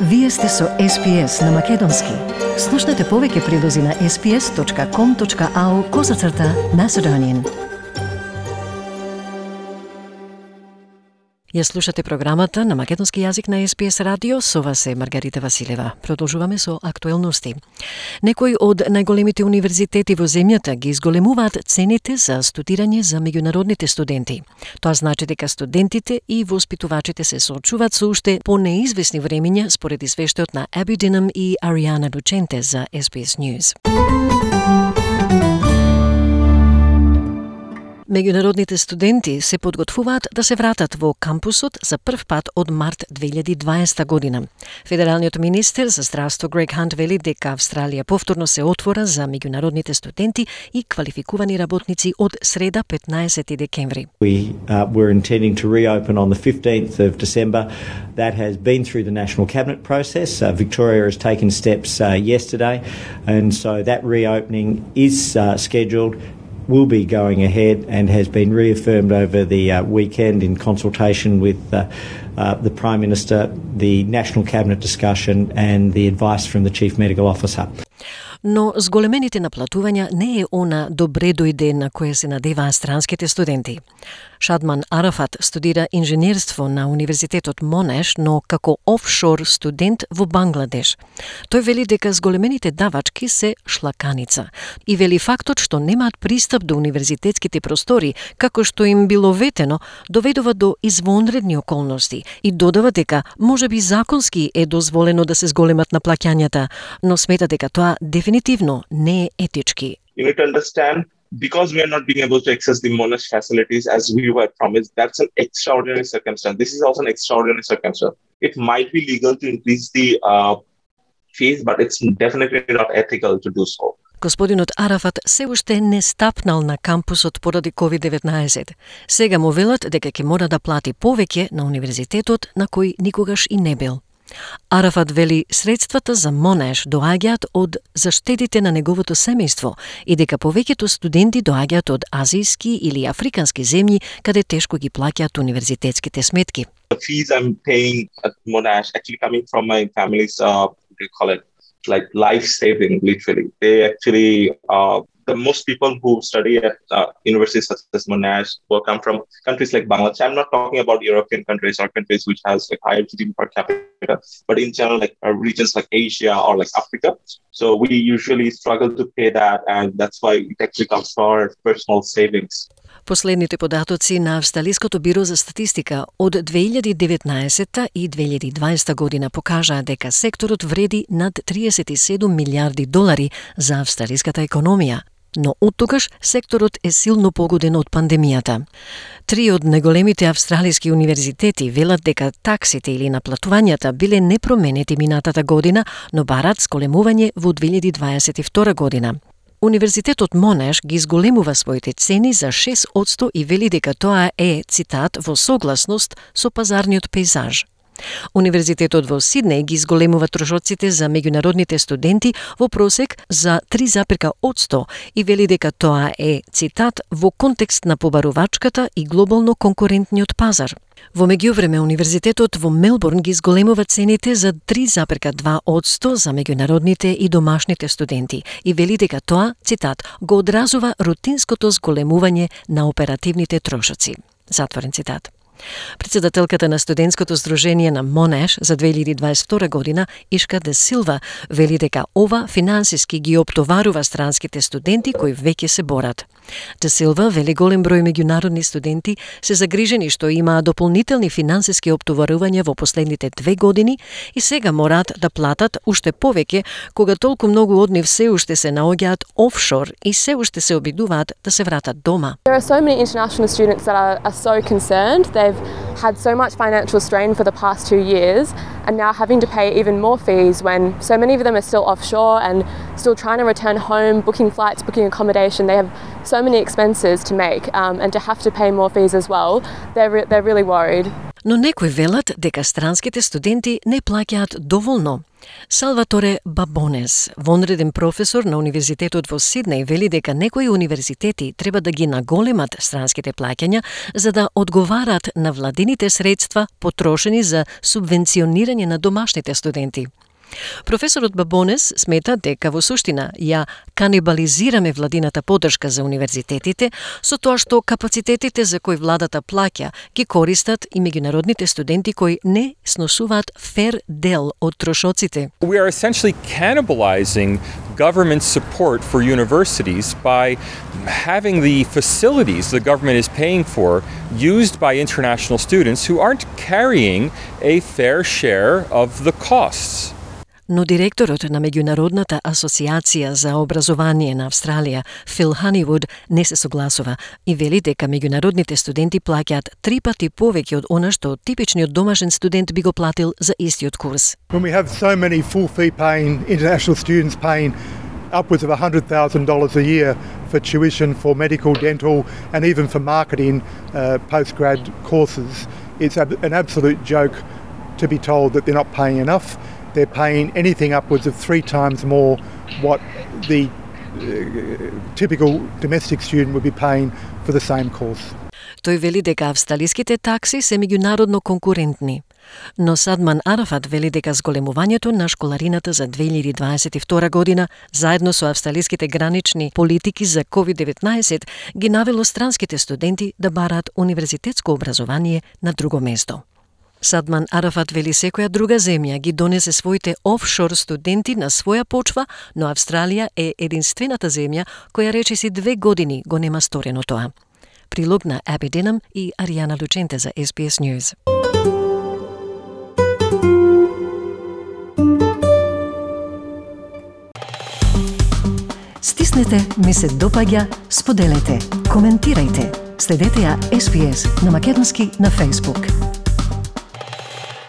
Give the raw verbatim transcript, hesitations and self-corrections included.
Вие сте со Ес Би Ес на Македонски. Слушнете повеќе прилози на ес би ес точка ком точка ау козацрта Macedonian. Ја слушате програмата на македонски јазик на Ес Би Ес радио, со вас е Маргарита Василева. Продолжуваме со актуелности. Некои од најголемите универзитети во земјата ги изголемуваат цените за студирање за меѓународните студенти. Тоа значи дека студентите и воспитувачите се соочуваат со уште понеизвестни времиња, според извештајот на Аби Динам и Ариана Дученте за Ес Би Ес News. Меѓународните студенти се подготвуваат да се вратат во кампусот за прв пат од март две илјади и дваесета година. Федералниот министер за здравство Грег Хант вели дека Австралија повторно се отвора за меѓународните студенти и квалификувани работници од среда петнаесети декември. We uh, were intending to reopen on the fifteenth of December. That has been through the National Cabinet process. Uh, Victoria has taken steps uh, yesterday, and so that reopening is uh, scheduled, will be going ahead, and has been reaffirmed over the uh, weekend in consultation with uh, uh, the Prime Minister, the National Cabinet discussion and the advice from the Chief Medical Officer. Но зголемените наплатувања не е она добре дојде на кое се надеваа странските студенти. Шадман Арафат студира инженерство на Универзитетот Монеш, но како офшор студент во Бангладеш. Тој вели дека зголемените давачки се шлаканица и вели фактот што немаат пристап до универзитетските простори, како што им било ветено, доведува до извонредни околности и додава дека можеби законски е дозволено да се зголемат наплаќањата, но смета дека тоа дефинитивно не е етички. You need to understand, because we are not being able to access the Monash facilities as we were promised, that's an extraordinary circumstance. This is also an extraordinary circumstance. It might be legal to increase the uh, fees, but it's definitely not ethical to do so. Господинот Арафат се уште не стапнал на кампусот поради ковид деветнаесет. Сега му велат дека ќе мора да плати повеќе на универзитетот на кој никогаш и не бил. Арафат вели средствата за Монеш доаѓаат од заштедите на неговото семејство и дека повеќето студенти доаѓаат од азијски или африкански земји каде тешко ги плаќаат универзитетските сметки. The fees I'm paying at Monash actually coming from my family's, uh, what do you call it, like life saving, literally. They actually, uh, the most people who study at uh, universities such as Monash will come from countries like Bangladesh. I'm not talking about European countries or countries which has like higher G D P per capita, but in general, like uh, regions like Asia or like Africa. So we usually struggle to pay that, and that's why it actually comes from our personal savings. Последните податоци на Австралиското биро за статистика од две илјади и деветнаесета и две илјади и дваесета година покажаа дека секторот вреди над триесет и седум милиарди долари за австралиската економија. Но оттогаш секторот е силно погоден од пандемијата. Три од најголемите австралиски универзитети велат дека таксите или наплатувањата биле непроменети минатата година, но барат зголемување во две илјади дваесет и втора година. Универзитетот Монеш ги зголемува своите цени за шест одсто и вели дека тоа е, цитат, во согласност со пазарниот пејзаж. Универзитетот во Сиднеј ги зголемува трошоците за меѓународните студенти во просек за три одсто и вели дека тоа е, цитат, во контекст на побарувачката и глобално конкурентниот пазар. Во меѓувреме, Универзитетот во Мелбурн ги зголемува цените за три одсто за меѓународните и домашните студенти и вели дека тоа, цитат, го одразува рутинското зголемување на оперативните трошоци. Затворен цитат. Председателката на студентското здружение на Монеш за две илјади и дваесет и втора година, Ишка де Силва, вели дека ова финансиски ги оптоварува странските студенти кои веќе се борат. Де Силва вели голем број меѓународни студенти се загрижени што имаа дополнителни финансиски оптоварувања во последните две години и сега мораат да платат уште повеќе кога толку многу од нив се уште се наоѓаат офшор и се уште се обидуваат да се вратат дома. There are so many international students that are, are so concerned. They've had so much financial strain for the past two years and now having to pay even more fees when so many of them are still offshore and still trying to return home, booking flights, booking accommodation. They have so many expenses to make um, and to have to pay more fees as well. They're, re- they're really worried. Но некои велат дека странските студенти не плаќаат доволно. Салваторе Бабонес, вонреден професор на Универзитетот во Сиднеј, вели дека некои универзитети треба да ги наголемат странските плаќања за да одговарат на владините средства потрошени за субвенционирање на домашните студенти. Професорот Бабонес смета дека во суштина ја канибализираме владината поддршка за универзитетите со тоа што капацитетите за кои владата плаќа ги користат и меѓународните студенти кои не сносуваат фер дел од трошоците. We are essentially cannibalizing government support for universities by having the facilities the government is paying for used by international students who aren't carrying a fair share of the costs. Но директорот на Меѓународната асоциација за образование на Австралија, Фил Ханивуд, не се согласува и вели дека меѓународните студенти плаќаат три пати повеќе од она што типичниот домашен студент би го платил за истиот курс. When we have so many full fee paying international students paying upwards of one hundred thousand dollars a year for tuition, for medical, dental and even for marketing uh, postgrad courses, it's ab- an absolute joke to be told that they're not paying enough. They're paying anything upwards of three times more what the uh, typical domestic student would be paying for the same course. Тој вели дека австралиските такси се меѓународно конкурентни. Но Садман Арафат вели дека зголемувањето на школарината за две илјади дваесет и втора година, заедно со австралиските гранични политики за ковид деветнаесет, ги навело странските студенти да бараат универзитетско образование на друго место. Садман Арафат вели секоја друга земја ги донесе своите офшор студенти на своја почва, но Австралија е единствената земја која речиси две години го нема сторено тоа. Прилог на Аби Динам и Аријана Лученте за Ес Би Ес News. Стиснете, ми се допаѓа, споделете, коментирајте. Следете ја Ес Би Ес на македонски на Facebook.